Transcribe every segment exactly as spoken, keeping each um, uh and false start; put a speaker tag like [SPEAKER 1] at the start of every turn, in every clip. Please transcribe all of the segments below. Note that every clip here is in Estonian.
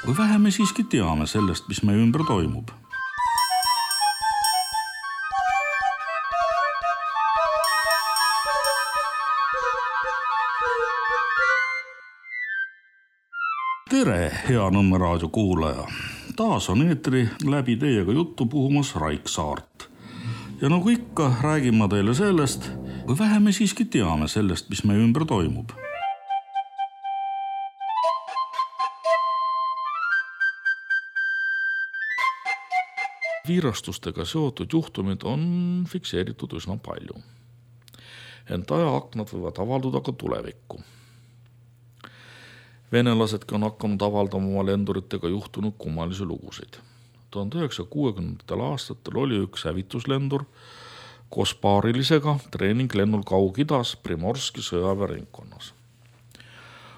[SPEAKER 1] Või vähe me siiski teame sellest, mis meie ümber toimub. Tere, hea Nõmme raadio kuulaja! Taas on eetri läbi teiega juttu puhumas Raik Saart. Ja nagu ikka, räägin ma teile sellest, või vähe me siiski teame sellest, mis meie ümber toimub. Viirastustega seotud juhtumid on fikseeritud üsna palju. Ent ajaaknad võivad avalduda ka tulevikku. Venelasedki on hakanud avaldama oma lenduritega juhtunud kummalisi lugusid. tuhande üheksasaja kuuekümnendatel aastatel oli üks hävituslendur koos paarilisega treeninglennul Kaug-Idas Primorski sõjaväeringkonnas.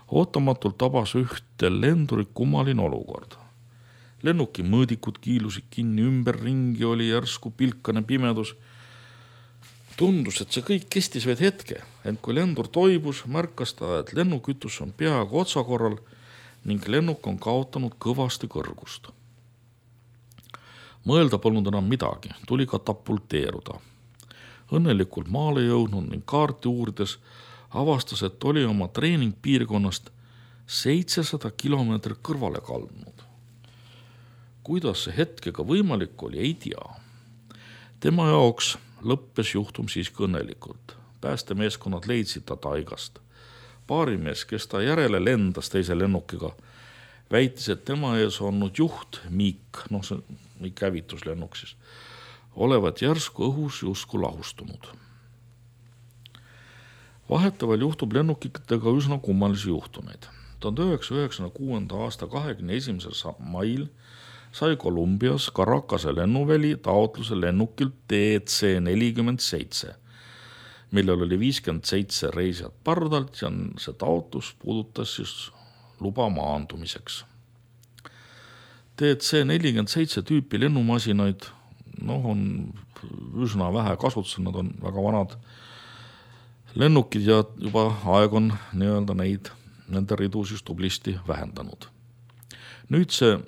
[SPEAKER 1] Ootamatult tabas ühte lendurit kummaline olukord. Lennuki mõõdikud kiilusid kinni, ümber ringi oli järsku pilkane pimedus. Tundus, et see kõik kestis vaid hetke, ent kui lendur toibus, märkas ta, et lennukütus on peaaegu otsakorral ning lennuk on kaotanud kõvasti kõrgust. Mõelda polnud enam midagi, tuli katapulteeruda. Õnnelikult maale jõudnud ning kaarti uurides avastas, et oli oma treeningpiirkonnast seitsesada kilomeetrit kõrvale kaldunud. Kuidas see hetkega võimalik oli, ei tea. Tema jaoks lõppes juhtum siiski õnnelikult. Päästemeeskonnad leidsid ta taigast. Paarimees, kes ta järele lendas teise lennukiga, väitis, et tema ees olnud juht Miik, noh see Miik hävituslennuk siis, olevat järsku õhus justkui lahustunud. Vahetavalt juhtub lennukitega üsna kummalisi juhtumeid. tuhande üheksasaja üheksakümne kuuenda aasta kahekümne esimesel mail sai Kolumbias Caracase lennuväli taotluse lennukilt D C nelikümmend seitse, millel oli viiskümmend seitse reisijat pardalt ja see taotlus puudutas siis luba maandumiseks. D C nelikümmend seitse tüüpi lennumasinaid no, on üsna vähe kasutusel, nad on väga vanad lennukid ja juba aeg on nii-öelda neid, nende ridu siis tublisti vähendanud. Nüüd see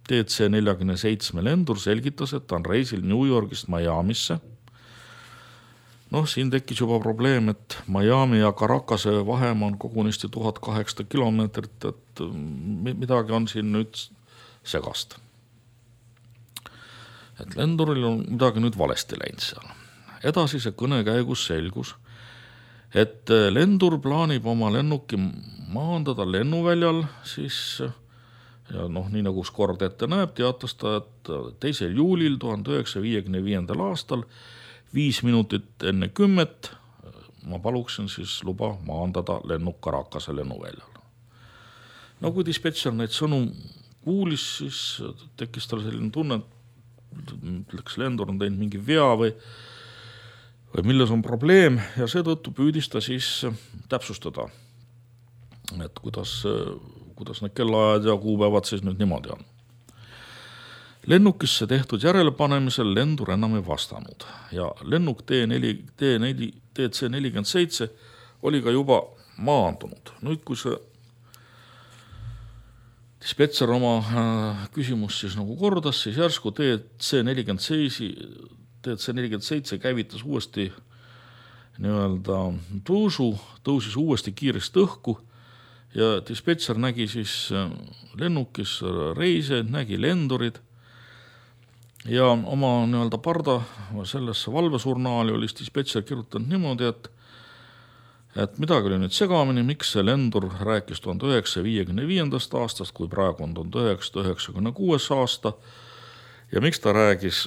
[SPEAKER 1] D C nelikümmend seitse lendur selgitas, et ta on reisil New Yorgist Miamisse. Noh, siin tekkis juba probleem, et Miami ja Caracase vahemaa on kogunisti tuhat kaheksasada kilomeetrit, et midagi on siin nüüd segast. Et lenduril on midagi nüüd valesti läinud seal. Edasise kõne käigus selgus, et lendur plaanib oma lennuki maandada lennuväljal, siis ja noh, nii nagu kord ette näeb, teatas ta, et teisel juulil tuhande üheksasaja viiekümne viiendal aastal viis minutit enne kümmet ma paluksin siis luba maandada lennuk Caracase lennuväljal. No kui dispetšer neid sõnu kuulis, siis tekkis tal selline tunne, et läks lendur on teinud mingi vea või, või milles on probleem ja seetõttu püüdis ta siis täpsustada, et kuidas kuidas need kellaajad ja kuupäevad siis nüüd niimoodi on. Lennukisse tehtud järelepanemisel lendur enam ei vastanud ja lennuk D C nelikümmend seitse oli ka juba maandunud. Nüüd, kui see dispetšer oma küsimus siis nagu kordas, siis järsku D C nelikümmend seitse käivitas uuesti nii-öelda tõusu, tõusis uuesti kiiresti õhku ja dispetšer nägi siis lennukis reise, nägi lendurid ja oma nii-öelda parda sellesse valvesurnaali oli dispetšer kirjutanud niimoodi, et, et midagi oli nüüd segamini, miks see lendur rääkis tuhande üheksasaja viiekümne viiendast aastast, kui praegu on tuhande üheksasada üheksakümne kuues aasta ja miks ta räägis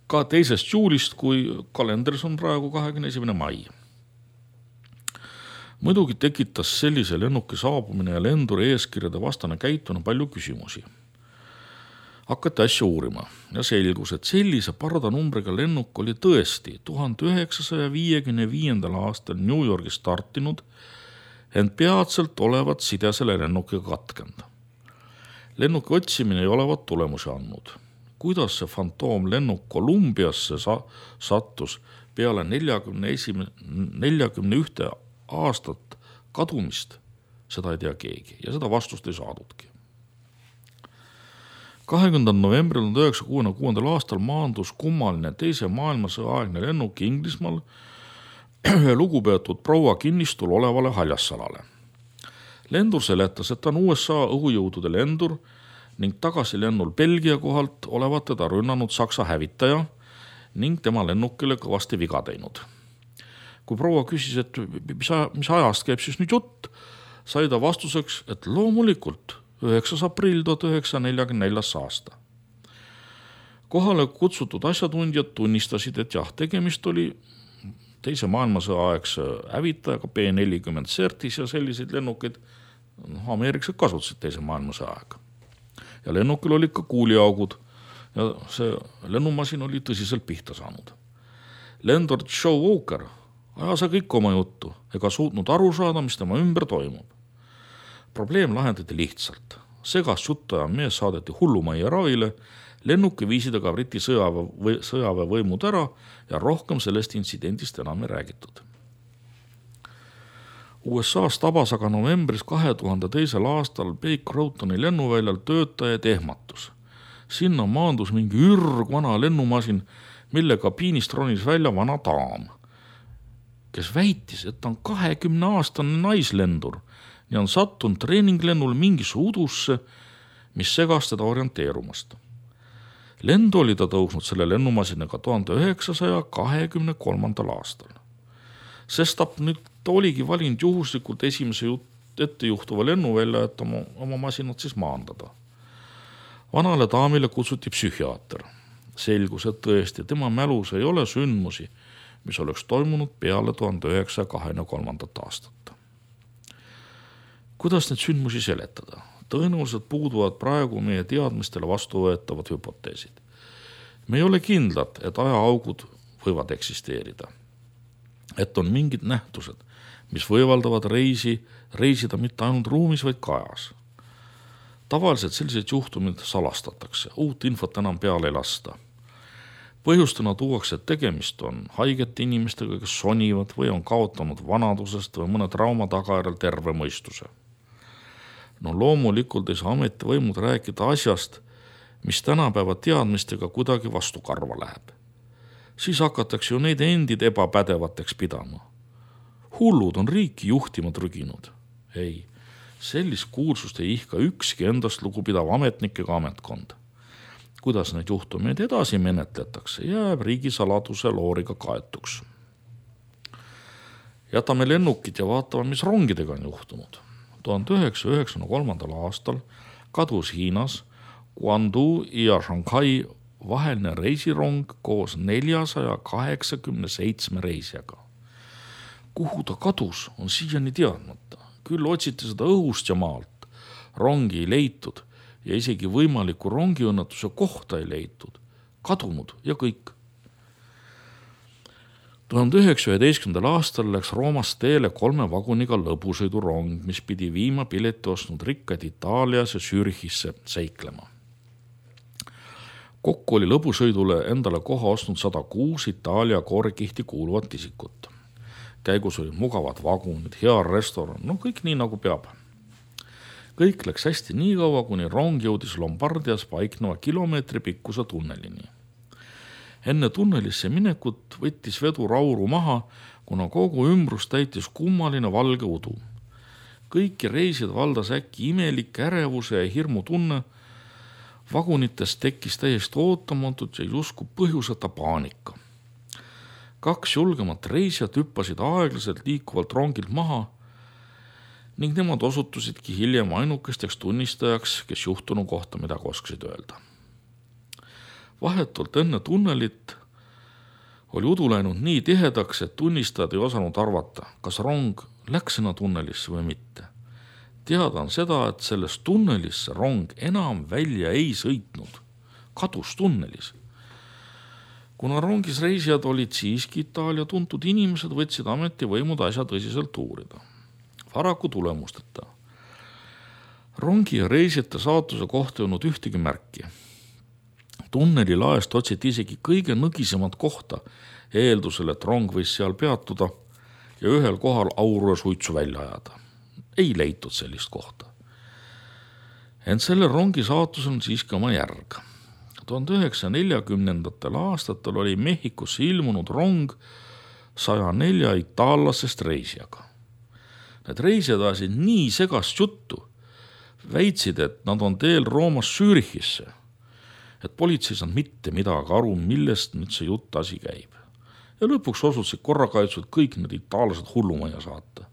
[SPEAKER 1] ka teisest juulist, kui kalendris on praegu kahekümne esimene mai. Muidugi tekitas sellise lennuki saabumine ja lenduri eeskirjade vastane käituna palju küsimusi. Hakati asja uurima ja selgus, et sellise pardanumbriga lennuk oli tõesti tuhande üheksasaja viiekümne viiendal aastal New Yorgis startinud, ent peatselt olevat side selle lennukiga katkend. Lennuki otsimine ei olevat tulemusi andnud. Kuidas see fantoomlennuk Kolumbiasse sa- sattus peale neljakümne ühte aastat kadumist, seda ei tea keegi ja seda vastust ei saadudki. kahekümnendal novembril tuhat üheksasaja kuuekümne kuuendal aastal maandus kummaline teise maailmasõja aegne lennuk Inglismaal ühe lugupeetud proua kinnistul olevale haljassalale. Lendur seletas, et ta on U S A õhujõudude lendur ning tagasilennul Belgia kohalt olevat teda rünnanud Saksa hävitaja ning tema lennukile kõvasti viga teinud. Kui proua küsis, et mis, mis ajast käib siis nüüd jutt, sai ta vastuseks, et loomulikult üheksas aprill tuhat üheksasada nelikümmend neli aasta. Kohale kutsutud asjatundjad tunnistasid, et jah, tegemist oli teise maailmasõja aegse hävitajaga B nelikümmend Certis ja selliseid lennukeid no, ameeriklased kasutasid teise maailmasõja aega. Ja lennukil olid ka kuuliaugud ja see lennumasin oli tõsiselt pihta saanud. Lendur Joe Walker ajas kõik oma juttu ega suutnud aru saada, mis tema ümber toimub. Probleem lahendati lihtsalt. Segast juttaja mees saadeti hullumajja ravile, lennuki viisid aga Briti sõjaväe, sõjaväe võimud ära ja rohkem sellest intsidendist enam ei räägitud. U S A-s tabas aga novembris kahe tuhande teisel aastal Baker Routoni lennuväljal töötajaid ehmatus. Sinna maandus mingi ürgvana lennumasin, mille kabiinist ronis välja vana daam, kes väitis, et ta on kahekümne aastane naislendur ja on sattunud treeninglennul mingisse udusse, mis segas teda orienteerumast. Lendu oli ta tõusnud selle lennumasinaga tuhande üheksasaja kahekümne kolmandal aastal. Sest ta nüüd oligi valinud juhuslikult esimese ette juhtuva lennuvälja, et oma, oma masinat siis maandada. Vanale daamile kutsuti psühhiaater. Selgus, et tõesti tema mälus ei ole sündmusi, mis oleks toimunud peale tuhande üheksasaja kahekümne kolmandat aastat. Kuidas need sündmusi seletada? Tõenäoliselt puuduvad praegu meie teadmistele vastuvõetavad hüpoteesid. Me ei ole kindlad, et ajaaugud võivad eksisteerida. Et on mingid nähtused, mis võimaldavad reisi, reisida mitte ainult ruumis, vaid ka ajas. Tavaliselt sellised juhtumid salastatakse, uut infot enam peale ei lasta. Põhjustena tuuakse, et tegemist on haigete inimestega, kes sonivad või on kaotanud vanadusest või mõne trauma tagajärjel terve mõistuse. No loomulikult ei saa ametivõimud rääkida asjast, mis tänapäeva teadmistega kuidagi vastu karva läheb. Siis hakatakse ju neid endid ebapädevateks pidama. Hullud on riiki juhtima trüginud. Ei, sellist kuulsust ei ihka ükski endast lugupidav ametnikega ametkond. Kuidas neid juhtumeid edasi menetletakse, jääb riigisaladuse looriga kaetuks. Jätame lennukid ja vaatame, mis rongidega on juhtunud. tuhande üheksasaja üheksakümne kolmandal aastal kadus Hiinas Guangzhou ja Shanghai vaheline reisirong koos neljasaja kaheksakümne seitsme reisijaga. Kuhu ta kadus, on siiani teadmata. Küll otsiti seda õhust ja maalt. Rongi ei leitud ja isegi võimaliku rongiõnnetuse kohta ei leitud. Kadunud ja kõik. tuhande üheksasaja üheteistkümnendal aastal läks Roomast teele kolme vaguniga lõbusõidurong, mis pidi viima pileti ostnud rikkaid Itaalias ja Zürichisse seiklema. Kokku oli lõbusõidule endale koha ostnud sada kuus Itaalia koorekihti kuuluvat isikut. Käigus olid mugavad vagunid, hea restoran, no kõik nii nagu peab. Kõik läks hästi nii kaua, kuni rong jõudis Lombardias paikneva kilomeetri pikkuse tunnelini. Enne tunnelisse minekut võttis vedur auru maha, kuna kogu ümbrus täitis kummaline valge udu. Kõiki reisid valdas äkki imelik ärevuse ja hirmu tunne. Vagunites tekkis täiesti ootamatut ja justkui põhjuseta paanika. Kaks julgemat reisijat hüppasid aeglaselt liikuvalt rongilt maha ning nemad osutusidki hiljem ainukesteks tunnistajaks, kes juhtunu kohta midagi oskasid öelda. Vahetult enne tunnelit oli udu läinud nii tihedaks, et tunnistajad ei osanud arvata, kas rong läks sinna tunnelisse või mitte. Teada on seda, et sellest tunnelisse rong enam välja ei sõitnud, kadus tunnelis. Kuna rongis reisijad olid siiski Itaalia tuntud inimesed, võtsid ametivõimud asja tõsiselt uurida. Paraku tulemusteta. Rongi ja reisijate saatuse kohta ei olnud ühtegi märki. Tunneli laest otsiti isegi kõige nõgisemat kohta, eeldusel, et rong võis seal peatuda ja ühel kohal auru ja suitsu välja ajada. Ei leitud sellist kohta. Ent selle rongi saatus on siiski oma järg. tuhande üheksasaja neljakümnendatel aastatel oli Mehhikosse ilmunud rong saja nelja itaallasest reisijaga. Need reisijad ajasid nii segast juttu, väitsid, et nad on teel Roomast Zürichisse, et politsei saanud mitte midagi aru, millest nüüd see jutt asi käib. Ja lõpuks osutusid korrakaitsud kõik need itaallased hullumajja saata.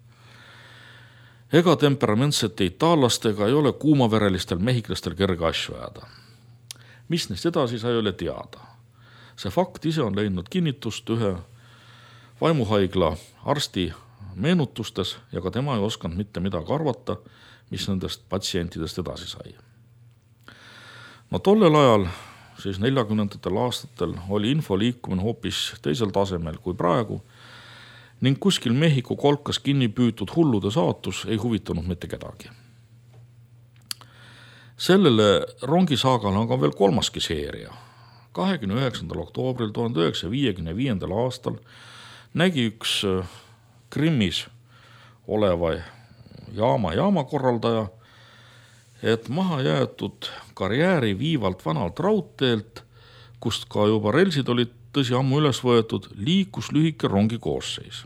[SPEAKER 1] Ega temperamentsete itaallastega ei ole kuumaverelistel mehhiklastel kerge asju ajada. Mis neist edasi sai, ei ole teada. See fakt ise on leidnud kinnitust ühe vaimuhaigla arsti meenutustes ja ka tema ei osanud mitte midagi arvata, mis nendest patsientidest edasi sai. No tollel ajal, siis neljakümnendatel aastatel, oli info liikumine hoopis teisel tasemel kui praegu ning kuskil Mehhiko kolkas kinni püütud hullude saatus ei huvitanud mitte kedagi. Sellele rongisaagale on ka veel kolmaski seeria. kahekümne üheksandal oktoobril tuhande üheksasaja viiekümne viiendal aastal nägi üks Krimmis oleva jaama jaamakorraldaja, et maha jäetud karjääri viivalt vanalt raudteelt, kust ka juba relsid olid tõsi ammu üles võetud, liikus lühike rongi koosseis.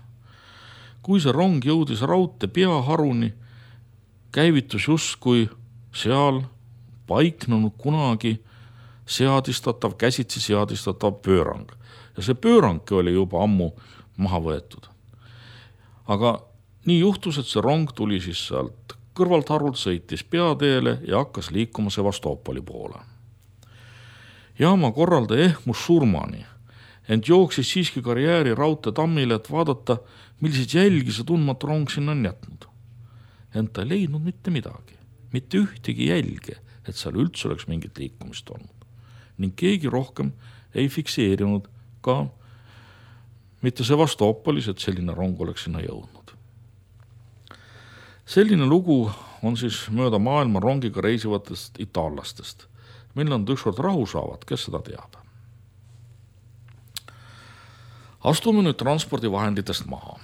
[SPEAKER 1] Kui see rong jõudis raudtee peaharuni, käivitus justkui seal paiknenud kunagi seadistatav, käsitsi seadistatav pöörang. Ja see pöörangki oli juba ammu maha võetud. Aga nii juhtus, et see rong tuli siis sealt kõrvalt harult, sõitis peateele ja hakkas liikuma Sevastopoli poole. Jaama korraldaja ehmus surmani, ent jooksis siiski karjääri raudtee tammile, et vaadata, milliseid jälgi see tundmatu rong sinna on jätnud. Ent ta ei leidnud mitte midagi, mitte ühtegi jälge, et seal üldse oleks mingit liikumist olnud. Ning keegi rohkem ei fikseerinud ka mitte Sevastopolis, et selline rong oleks sinna jõudnud. Selline lugu on siis mööda maailma rongiga reisivatest itaallastest. Mille nad ükskord rahu saavad, kes seda teab. Astume nüüd transpordivahenditest maha.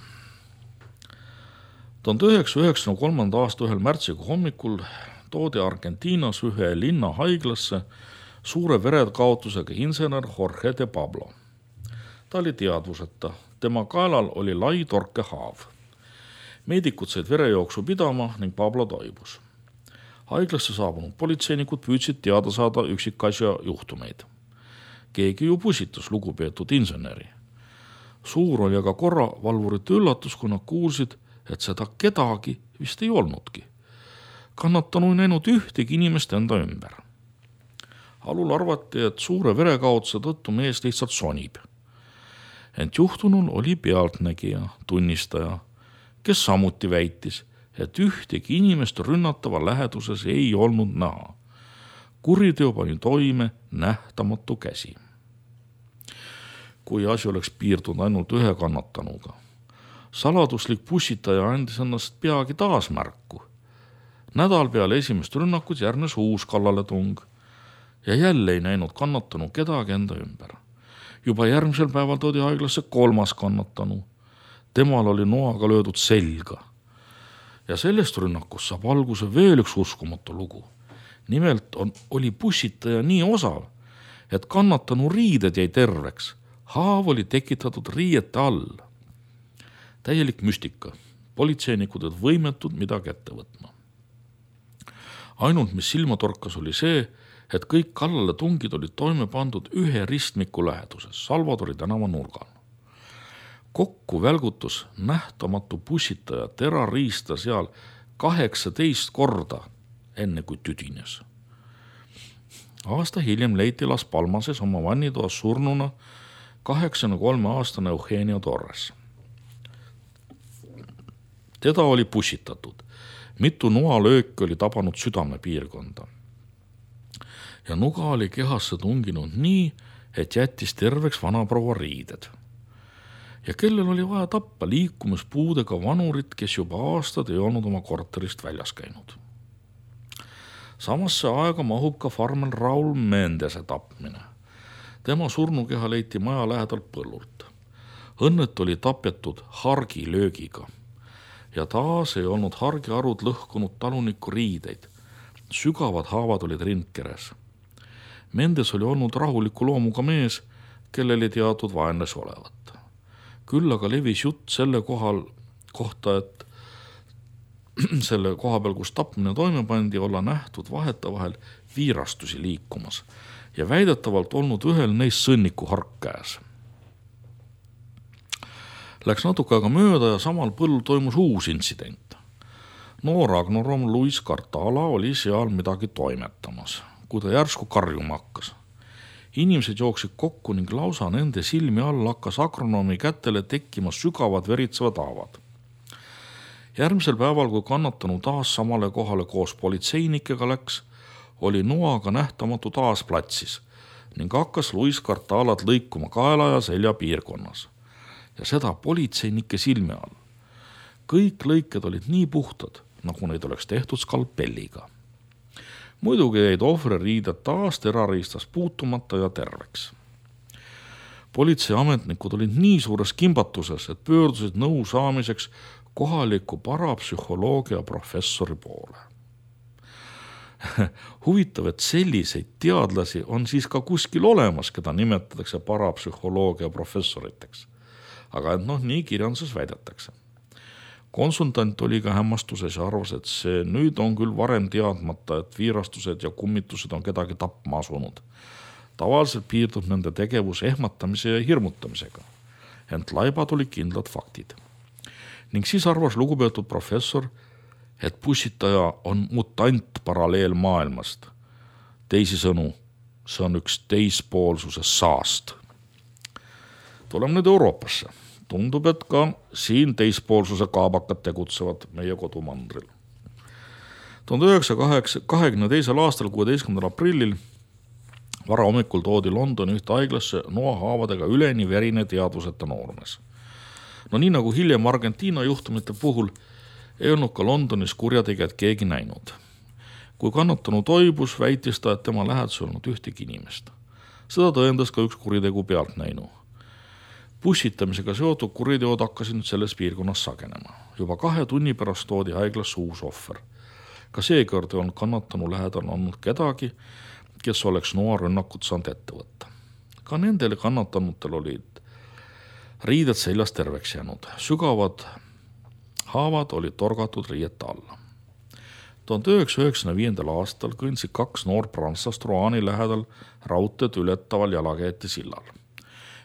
[SPEAKER 1] tuhande üheksasaja üheksakümne kolmanda aasta ühel märtsiga hommikul toodi Argentiinas ühe linna haiglasse suure verekaotusega insener Jorge de Pablo. Ta oli teadvuseta, tema kaelal oli lai torkehaav. Meedikud said verejooksu pidama ning Pablo toibus. Haiglasse saabunud politseinikud püüdsid teada saada üksikasja juhtumeid. Keegi ju pusitas lugupeetud inseneri. Suur oli aga korravalvurite üllatus, kui nad kuulsid, et seda kedagi vist ei olnudki. Kannatanu ei näinud ühtegi inimest enda ümber. Alul arvati, et suure verekaotuse tõttu mees lihtsalt sonib. Ent juhtunul oli pealtnägija, tunnistaja, kes samuti väitis, et ühtegi inimest rünnatava läheduses ei olnud näha. Kuriteo pani toime nähtamatu käsi. Kui asi oleks piirdunud ainult ühe kannatanuga. Saladuslik pussitaja andis ennast peagi taas märku. Nädal peale esimest rünnakut järgnes uus kallaletung ja jälle ei näinud kannatanu kedagi enda ümber. Juba järgmisel päeval toodi haiglasse kolmas kannatanu. Temal oli noaga löödud selga. Ja sellest rünnakust saab alguse veel üks uskumatu lugu. Nimelt on, oli pussitaja nii osav, et kannatanu riided jäi terveks. Haav oli tekitatud riiete all. Täielik müstika. Politseinikud olid võimetud midagi ette võtma. Ainult mis silma torkas oli see, et kõik kallale tungid olid toime pandud ühe ristmiku läheduses, Salvadori tänava nurgal. Kokku välgutus nähtamatu pussitaja terariista seal kaheksateist korda, enne kui tüdines. Aasta hiljem leiti Las Palmases oma vannitoas surnuna kaheksakümne kolme aastane Eugenio Torres. Teda oli pussitatud. Mitu noalööki oli tabanud südamepiirkonda. Ja nuga oli kehasse tunginud nii, et jättis terveks vanaproua riided. Ja kellel oli vaja tappa liikumispuudega vanurit, kes juba aastad ei olnud oma korterist väljas käinud. Samasse aega mahub ka farmel Raul Mendese tapmine. Tema surnukeha leiti maja lähedalt põllult. Õnnet oli tapetud hargilöögiga. Ja taas ei olnud hargiarud lõhkunud taluniku riideid. sügavad haavad olid rindkeres. Mendes oli olnud rahuliku loomuga mees, kellel ei teatud vaenlasi olevat. Küll aga levis jutt selle kohal kohta, et selle koha peal, kus tapmine toime pandi, olla nähtud vaheta vahel viirastusi liikumas ja väidetavalt olnud ühel neist sõnniku hark käes. Läks natuke aega mööda ja samal põllul toimus uus intsident. Noor agnorom Luis Cartala oli seal midagi toimetamas, kui ta järsku karjuma hakkas. Inimesed jooksid kokku ning lausa nende silmi all hakkas agronoomi kätele tekkima sügavad veritsevad haavad. Järgmisel päeval, kui kannatanu taas samale kohale koos politseinikega läks, oli noaga nähtamatu taas platsis ning hakkas Luis Cartalat lõikuma kaela ja selja piirkonnas. Ja seda politseinike silme all. Kõik lõiked olid nii puhtad, nagu neid oleks tehtud skalpelliga. Muidugi jäid ohvri riided taas terariistas puutumata ja terveks. Politseiametnikud olid nii suures kimbatuses, et pöördusid nõu saamiseks kohaliku parapsühholoogia professori poole. Huvitav, et selliseid teadlasi on siis ka kuskil olemas, keda nimetatakse parapsühholoogia professoriteks. Aga et noh, nii kirjanduses väidetakse. Konsultant oli ka hämmastuses ja arvas, et see nüüd on küll varem teadmata, et viirastused ja kummitused on kedagi tapma asunud. Tavaliselt piirdub nende tegevus ehmatamise ja hirmutamisega, ent laibad olid kindlad faktid. Ning siis arvas lugupeetud professor, et pussitaja on mutant paralleelmaailmast. Teisisõnu, see on üks teispoolsuse saast. Tuleme nüüd Euroopasse. Tundub, et ka siin teispoolsuse kaabakad tegutsevad meie kodumandril. tuhande üheksasaja kahekümne teisel aastal kuueteistkümnendal aprillil varahommikul toodi Londoni ühte haiglasse noahaavadega üleni verine teadvuseta noormees. No nii nagu hiljem Argentiina juhtumite puhul ei olnud ka Londonis kurjategijad keegi näinud. Kui kannatanu toibus, väitis ta, et tema lähedus olnud ühtegi inimest. Seda tõendas ka üks kuritegu pealt näinu. Pussitamisega seotud kuriteod hakkasid selles piirkonnas sagenema. Juba kahe tunni pärast toodi haiglasse uus ohver. Ka seekord on kannatanu lähedal olnud kedagi, kes oleks noarünnakut saanud ette võtta. Ka nendele kannatanutel olid riided seljas terveks jäänud. Sügavad haavad olid torgatud riiete alla. tuhande üheksasaja üheksakümne viiendal aastal kõndsid kaks noor prantslast Roani lähedal raudteed ületaval jalakäijate sillal.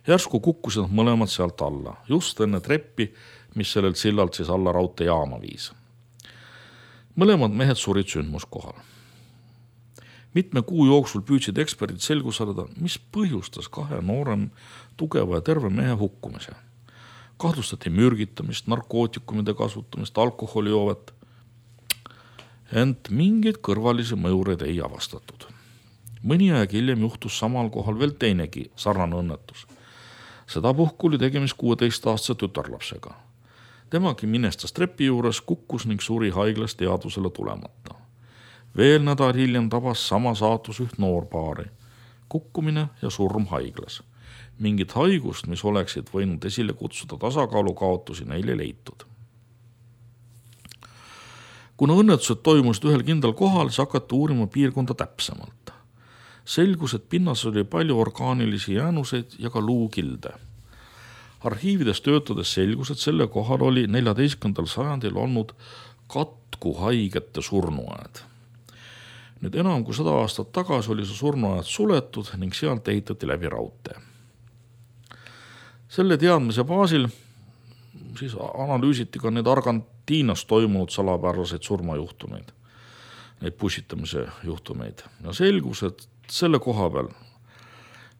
[SPEAKER 1] Järsku kukkusid mõlemad sealt alla, just enne treppi, mis sellelt sillalt siis alla raudteejaama viis. Mõlemad mehed surid sündmuskohal. Mitme kuu jooksul püüdsid eksperdid selgus saada, mis põhjustas kahe noorem, tugeva ja terve mehe hukkumise. Kahtlustati mürgitamist, narkootikumide kasutamist, alkoholijoovet. Ent mingeid kõrvalisi mõjureid ei avastatud. Mõni aeg hiljem juhtus samal kohal veel teinegi sarnane õnnetus. Seda puhku oli tegemist kuueteistaastase tütarlapsega. Temagi minestas trepi juures, kukkus ning suri haiglas teadvusele tulemata. Veel nädal hiljem tabas sama saatus üht noorpaari. Kukkumine ja surm haiglas. Mingit haigust, mis oleksid võinud esile kutsuda tasakaalu kaotusi, neile leitud. Kuna õnnetused toimusid ühel kindlal kohal, siis hakati uurima piirkonda täpsemalt. Selgus, et pinnas oli palju orgaanilisi jäänuseid ja ka luukilde. Arhiivides töötades selgus, et selle kohal oli neljateistkümnendal sajandil olnud katkuhaigete surnuaed. Nüüd enam kui sada aastat tagasi oli see surnuaed suletud ning sealt ehitati läbi raudtee. Selle teadmise baasil siis analüüsiti ka need Argentiinas toimunud salapäraseid surmajuhtumeid, neid pussitamise juhtumeid. Ja selgus, et selle koha peal,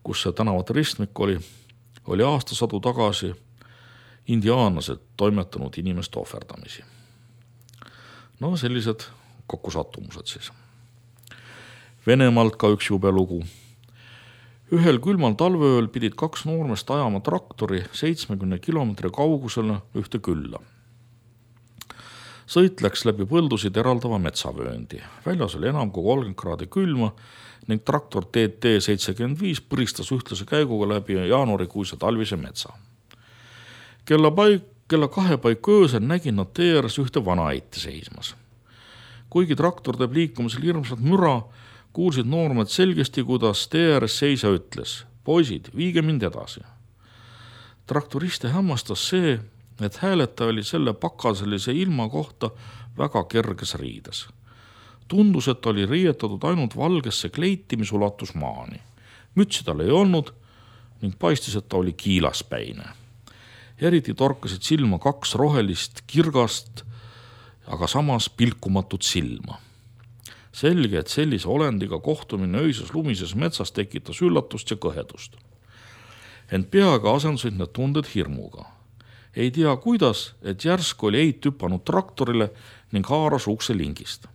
[SPEAKER 1] kus see tänavate ristmik oli, oli aastasadu tagasi indiaanlased toimetanud inimeste ohverdamisi. No sellised kokkusattumused siis. Venemaalt ka üks jube lugu. Ühel külmal talveööl pidid kaks noormest ajama traktori seitsmekümne kilomeetri kaugusele ühte külla. Sõit läks läbi põldusid eraldava metsavööndi. Väljas oli enam kui kolmkümmend kraadi külma ning traktor T T seitsekümmend viis põristas ühtlase käiguga läbi jaanuarikuise talvise metsa. Kella, paik, kella kahe paiku öösel nägin nad tee ääres ühte vana eiti seismas. Kuigi traktor teeb liikumisel hirmsat müra, kuulsid noormed selgesti, kuidas tee ääres seisa ütles: poisid, viige mind edasi. Traktoriste hämmastas see, et hääleta oli selle pakaselise ilma kohta väga kerges riides. Tundus, et oli riietatud ainult valgesse kleiti, mis ulatus maani. Mütsi tal ei olnud ning paistis, et ta oli kiilaspäine. Eriti torkasid silma kaks rohelist kirgast, aga samas pilkumatut silma. Selge, et sellise olendiga kohtumine öises lumises metsas tekitas üllatust ja kõhedust. Ent peaga asendusid need tunded hirmuga. Ei tea kuidas, et järsk oli eit hüpanud traktorile ning haaras ukse lingist.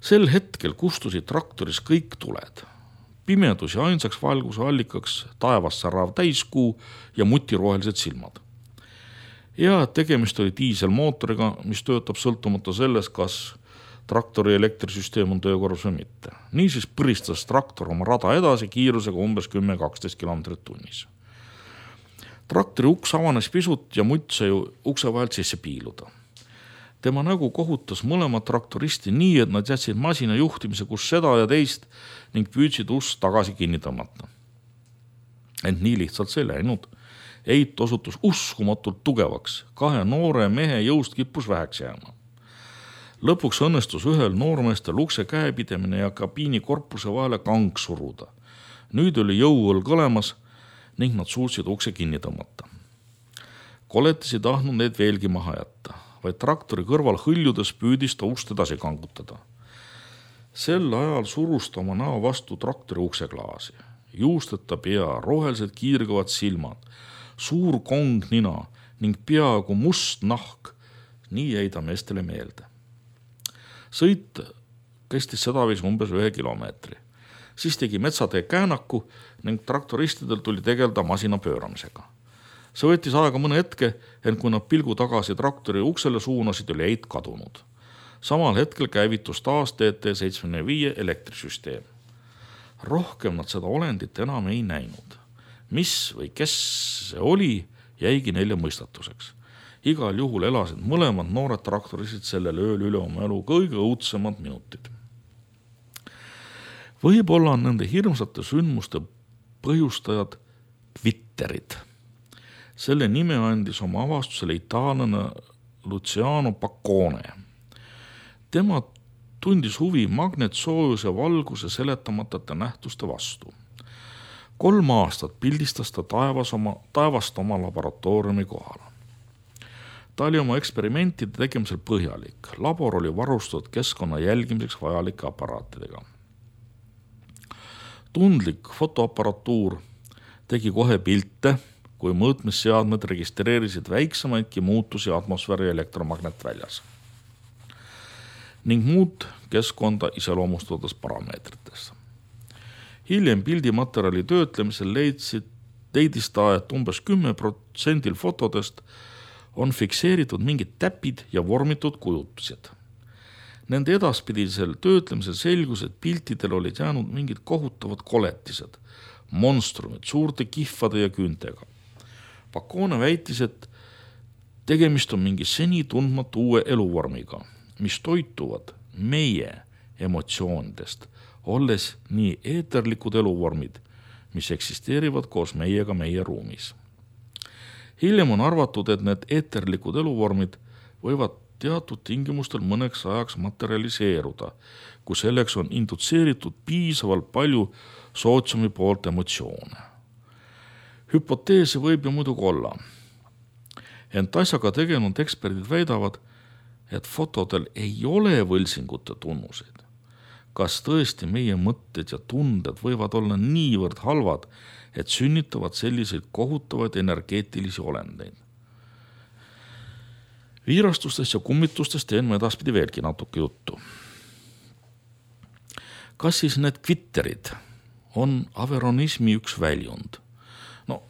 [SPEAKER 1] Sel hetkel kustusid traktoris kõik tuled. Pimedus ja ainsaks valguse allikaks taevast särav täiskuu ja mutirohelised silmad. Ja tegemist oli diiselmootoriga, mis töötab sõltumata sellest, kas traktori elektrisüsteem on töökorras või mitte. Niisiis põristas traktor oma rada edasi kiirusega umbes kümme kaksteist kilomeetrit tunnis. Traktori uks avanes pisut ja mutt sai ukse vahelt sisse piiluda. Tema nägu kohutas mõlemad traktoristi nii, et nad jätsid masina juhtimise kus seda ja teist ning püüdsid ust tagasi kinni tõmmata. Ent nii lihtsalt see läinud. Eit osutus uskumatult tugevaks. Kahe noore mehe jõust kippus väheks jääma. Lõpuks õnnestus ühel noormeestel ukse käepidemine ja kabiini korpuse vahele kang suruda. Nüüd oli jõuõlg olemas ning nad suutsid ukse kinni tõmmata. Koletis ei tahtnud neid veelgi maha jätta, vaid traktori kõrval hõljudes püüdis ta ust edasi kangutada. Sel ajal surus ta oma näo vastu traktori ukseklaasi. Juusteta pea, rohelised kiirgavad silmad, suur kong nina ning peaaegu must nahk. Nii jäi ta meestele meelde. Sõit kestis sedavis umbes ühe kilomeetri. Siis tegi metsatee käänaku ning traktoristidel tuli tegelda masina pööramisega. See võttis aega mõne hetke, ent kui nad pilgu tagasi traktori uksele suunasid, oli eit kadunud. Samal hetkel käivitus taas T T seitsekümmend viis elektrisüsteem. Rohkem nad seda olendit enam ei näinud. Mis või kes see oli, jäigi neile mõistatuseks. Igal juhul elasid mõlemad noored traktorisid sellel ööl üle oma elu kõige õudsemad minutid. Võib-olla on nende hirmsate sündmuste põhjustajad kvitterid. Selle nime andis oma avastusele itaallane Luciano Paccone. Tema tundis huvi magnetsoojuse valguse seletamatute nähtuste vastu. Kolm aastat pildistas ta taevas oma, taevast oma laboratooriumi kohal. Ta oli oma eksperimentide tegemisel põhjalik. Labor oli varustatud keskkonna jälgimiseks vajalike aparaatidega. Tundlik fotoaparatuur tegi kohe pilte, kui mõõtmisseadmed registreerisid väiksemaidki muutusi atmosfääri elektromagnetväljas ning muud keskkonda iseloomustades parameetritest. Hiljem pildimaterjali töötlemisel leidsid, leidis ta, et umbes kümme protsenti fotodest on fikseeritud mingid täpid ja vormitud kujutused. Nende edaspidisel töötlemisel selgus, et piltidel olid jäänud mingid kohutavad koletised, monstrumid, suurte kihvade ja küüntega. Paccone väitis, et tegemist on mingi seni tundmatu uue eluvormiga, mis toituvad meie emotsioonidest, olles nii eeterlikud eluvormid, mis eksisteerivad koos meiega meie ruumis. Hiljem on arvatud, et need eeterlikud eluvormid võivad teatud tingimustel mõneks ajaks materialiseeruda, kui selleks on indutseeritud piisavalt palju sootsiumi poolt emotsioone. Hüpoteese võib ju muidugi olla. Ent asjaga tegenud eksperdid väidavad, et fotodel ei ole võlsingute tunnuseid. Kas tõesti meie mõtted ja tunded võivad olla niivõrd halvad, et sünnitavad selliseid kohutavaid energeetilisi olendeid? Viirastustest ja kummitustest teen ma edaspidi veelgi natuke juttu. Kas siis need kvitterid on averonismi üks väljund? No,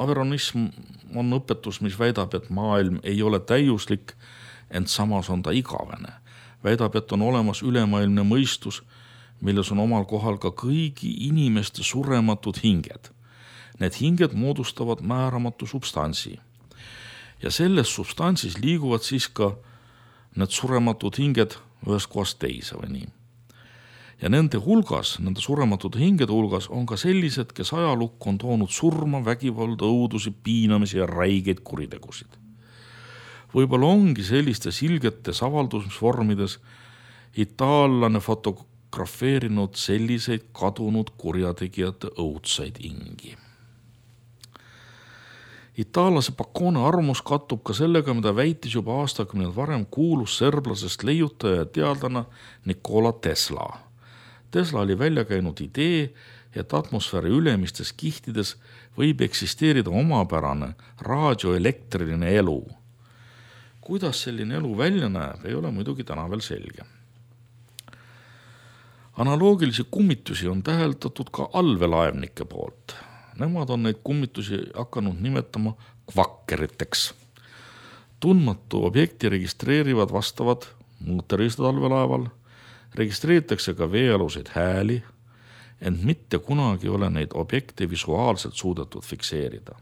[SPEAKER 1] averonism on õpetus, mis väidab, et maailm ei ole täiuslik, ent samas on ta igavene. Väidab, et on olemas ülemaailmne mõistus, milles on omal kohal ka kõigi inimeste surematud hinged. Need hinged moodustavad määramatu substantsi. Ja selles substantsis liiguvad siis ka need surematud hinged ühest kohast teise või nii. Ja nende hulgas, nende surematute hingede hulgas on ka sellised, kes ajalukku on toonud surma, vägivalda, õudusi, piinamisi ja räigeid kuritegusid. Võib-olla ongi sellistes ilgetes avaldusvormides itaallane fotografeerinud selliseid kadunud kurjategijate õudsaid ingi. Itaallase Paccone armus kattub ka sellega, mida väitis juba aastakümneid varem kuulus serblasest leiutaja ja teadlane Nikola Tesla. Tesla oli välja käinud idee, et atmosfääri ülemistes kihtides võib eksisteerida omapärane raadioelektriline elu. Kuidas selline elu välja näeb, ei ole muidugi täna veel selge. Analoogilisi kummitusi on täheldatud ka allveelaevnike poolt. Nemad on neid kummitusi hakanud nimetama kvakkeriteks. Tundmatu objekti registreerivad vastavad mootoristad allveelaeval, registreeritakse ka veealuseid hääli, ent mitte kunagi ole neid objekte visuaalselt suudetud fikseerida.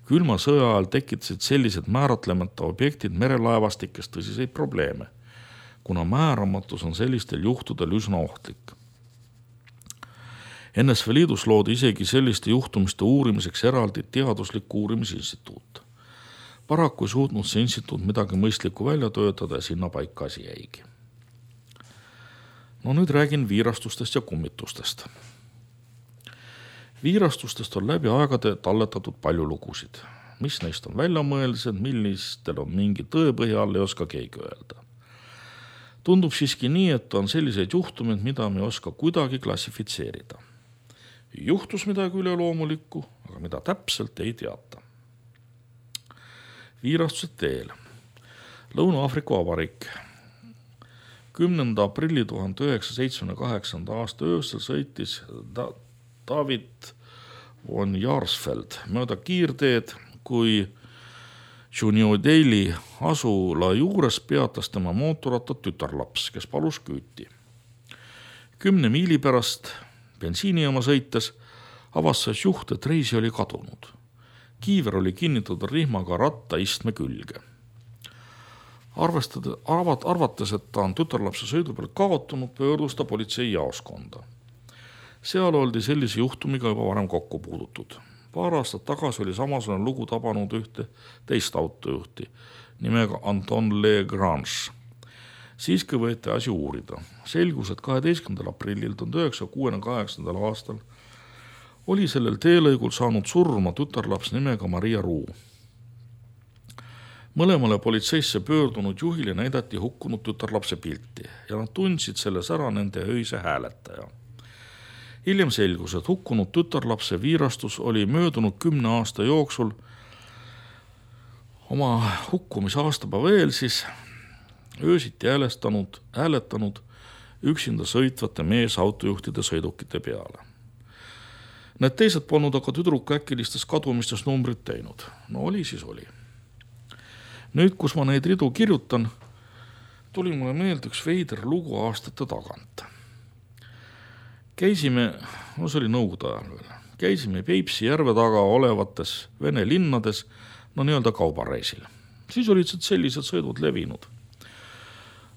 [SPEAKER 1] Külma sõja ajal tekitasid sellised määratlemata objektid merelaevastikes tõsiseid probleeme, kuna määramatus on sellistel juhtudel üsna ohtlik. N S V Liidus loodi isegi selliste juhtumiste uurimiseks eraldi teaduslik uurimisinstituut. Paraku ei suutnud see instituut midagi mõistlikku välja töötada ja sinna paika asi jäigi. No nüüd räägin viirastustest ja kummitustest. Viirastustest on läbi aegade talletatud palju lugusid. Mis neist on väljamõeldised, millistel on mingi tõepõhi all, ei oska keegi öelda. Tundub siiski nii, et on selliseid juhtumeid, mida me ei oska kuidagi klassifitseerida. Juhtus midagi üleloomulikku, aga mida täpselt ei teata. Viirastused teel. Lõuna-Aafrika Vabariik. kümnenda aprilli tuhande üheksasaja seitsmekümne kaheksanda aasta öösel sõitis da- David von Jaarsfeld mööda kiirteed, kui Juniodaili asula juures peatas tema mootorratta tütarlaps, kes palus küüti. Kümne miili pärast bensiinijaama sõites avastas juht, et reisi oli kadunud. Kiiver oli kinnitatud rihmaga ratta istme külge. Arvestades, arvat, arvates, et ta on tütarlapse sõidu peal kaotunud, pöördus ta politsei jaoskonda. Seal oldi sellise juhtumiga juba varem kokku puudutud. Paar aastat tagasi oli samasugune lugu tabanud ühte teist autojuhti nimega Anton Legrange. Siiski võeti asi uurida. Selgus, et kaheteistkümnendal aprillil tuhande üheksasaja kuuekümne kaheksandal aastal oli sellel teelõigul saanud surma tütarlaps nimega Maria Ruu. Mõlemale politseisse pöördunud juhile näidati hukkunud tütarlapse pilti ja nad tundsid selles ära nende öise hääletaja. Hiljem selgus, et hukkunud tütarlapse viirastus oli möödunud kümne aasta jooksul oma hukkumise aastapäeva eel siis öösiti hääletanud, hääletanud üksinda sõitvate meesautojuhtide sõidukite peale. Need teised polnud aga tüdruku äkkilistes kadumistes numbrit teinud. No oli siis oli. Nüüd, kus ma neid ridu kirjutan, tuli mulle meelde üks veider lugu aastate tagant. Käisime, no see oli nõukogude ajal veel, käisime Peipsi järve taga olevates Vene linnades, no nii-öelda kaubareisil. Siis olid sellised sõidud levinud.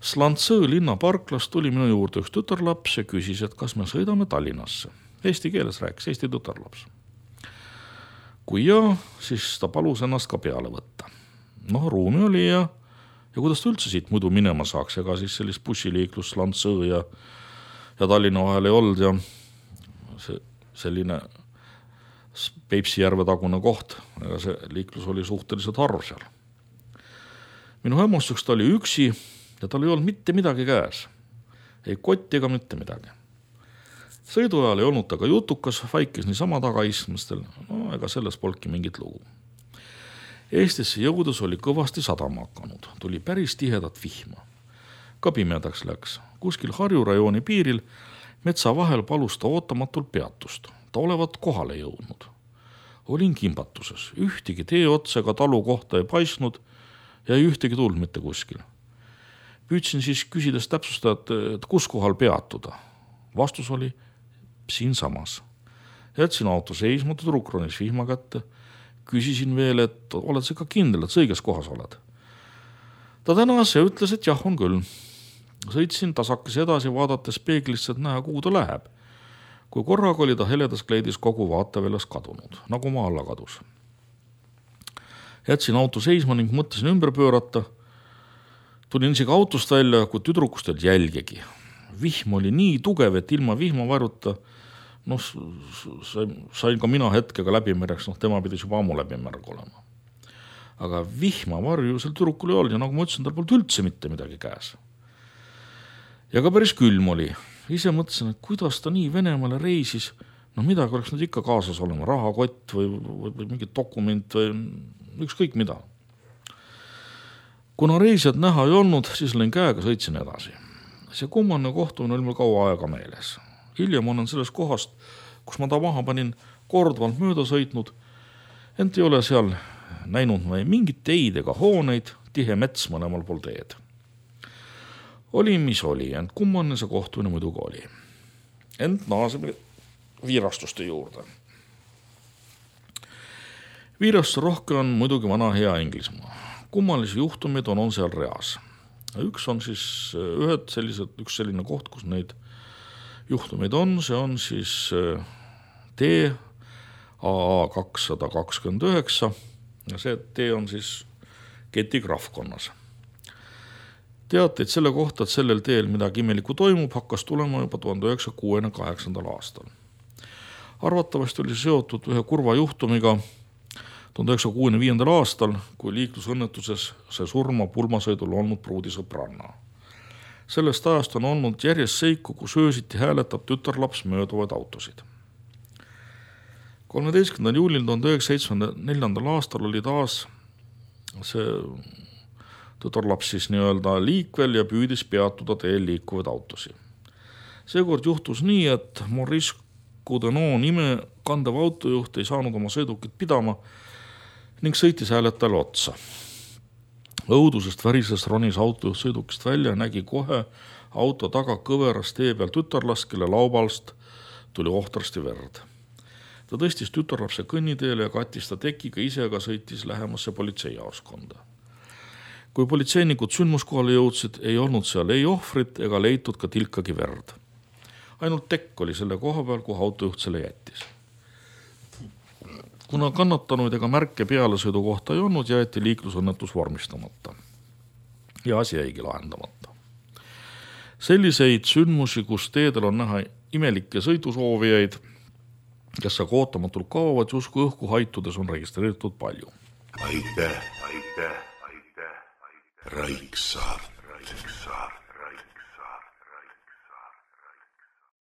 [SPEAKER 1] Slantsõõ linnaparklas tuli minu juurde üks tütarlaps ja küsis, et kas me sõidame Tallinnasse. Eesti keeles rääkis, Eesti tütarlaps. Kui jah, siis ta palus ennast ka peale võtta. No ruumi oli ja, ja kuidas ta üldse siit muidu minema saaks, ega siis sellist bussiliiklus Slantsõõ ja, ja Tallinna vahel ei olnud ja see, selline Peipsi järve tagune koht, ega see liiklus oli suhteliselt harv seal. Minu hämmustuseks ta oli üksi ja tal ei olnud mitte midagi käes. Ei kotti ega mitte midagi. Sõidu ajal ei olnud ta ka jutukas, vaikis niisama tagaistmistel, no ega selles polki mingit lugu. Eestisse jõudes oli kõvasti sadama hakanud, tuli päris tihedat vihma. Ka pimedaks läks. Kuskil Harju rajooni piiril metsa vahel palus ta ootamatult peatust. Ta olevat kohale jõudnud. Olin kimbatuses, ühtegi tee otsega talu kohta ei paisnud ja ei ühtegi tulnud mitte kuskil. Püüdsin siis küsides täpsustada, et kus kohal peatuda. Vastus oli siin samas. Jätsin auto seisma, tüdruk ronis vihma kätte. Küsisin veel, et oled sa ka kindel, et sa õiges kohas oled. Ta tänas ja ütles, et jah, on küll. Sõitsin tasakes edasi vaadates peeglisse, et näha, kuhu ta läheb. Kui korraga oli ta heledas kleidis kogu vaateväljast kadunud, nagu maa alla kadus. Jätsin auto seisma ning mõtlesin ümber pöörata. Tulin isegi autost välja, kui tüdrukust olid jälgegi. Vihm oli nii tugev, et ilma vihmavarjuta noh, sain ka mina hetkega läbimärjaks, noh, tema pidis juba ammu läbimärg olema. Aga vihmavarju sel tüdrukul ei olnud ja nagu ma ütlesin, tal polnud üldse mitte midagi käes. Ja ka päris külm oli. Ise mõtlesin, et kuidas ta nii Venemaale reisis, no midagi oleks nüüd ikka kaasas olema, rahakott või, või, või mingi dokument või ükskõik mida. Kuna reisijad näha ei olnud, siis lõin käega, sõitsin edasi. See kummanne kohtumine oli mul kaua aega meeles. Hiljem olen sellest kohast, kus ma ta maha panin, kordvalt mööda sõitnud, ent ei ole seal näinud mingit teid ega hooneid, tihe mets mõlemal pool teed. Oli, mis oli, ent kummanne see kohtumine muidugi oli. Ent naaseb viirastuste juurde. Viirastus rohke on muidugi vana hea Inglismaa. Kummalisi juhtumeid on, on seal reas. Üks on siis ühed sellised, üks selline koht, kus neid juhtumeid on, see on siis T A A kakssada kakskümmend üheksa ja see T on siis Keti krahvkonnas. Teateid selle kohta, et sellel teel midagi imelikku toimub, hakkas tulema juba tuhande üheksasaja kuuekümne kaheksandal aastal. Arvatavasti oli seotud ühe kurva juhtumiga tuhande üheksasaja kuuekümne viiendal aastal, kui liiklusõnnetuses see surma pulmasõidul olnud pruudi sõbranna. Sellest ajast on olnud järjest seiku, kus öösiti hääletab tütarlaps mööduvaid autosid. kolmeteistkümnendal juulil tuhande üheksasaja seitsmekümne neljandal aastal oli taas see tütarlaps siis nii-öelda liikvel ja püüdis peatuda teel liikuvaid autosi. Seekord juhtus nii, et Maurice Coudenot nime kandev autojuht ei saanud oma sõidukit pidama ning sõitis hääletajale otsa. Õudusest värises ronis autojuht sõidukist välja ja nägi kohe auto taga kõveras tee peal tütarlast, kelle laubalst tuli ohtrasti verd. Ta tõstis tütarlapse kõnniteele ja kattis ta tekiga ise ka sõitis lähemasse politseijaoskonda. Kui politseinikud sündmuskohale jõudsid, ei olnud seal ei ohvrit ega leitud ka tilkagi verd. Ainult tekk oli selle koha peal, kuhu autojuht selle jättis. Kuna kannatanuid ega märke pealesõidu kohta ei olnud, jäeti liiklusõnnetus vormistamata. Ja asi jäigi lahendamata. Selliseid sündmusi, kus teedel on näha imelikke sõidusoovijaid, kes aga ootamatult kaovad justkui õhku haitudes, on registreeritud palju.
[SPEAKER 2] Aitäh, aitäh, aitäh, aitäh. Raiksaar.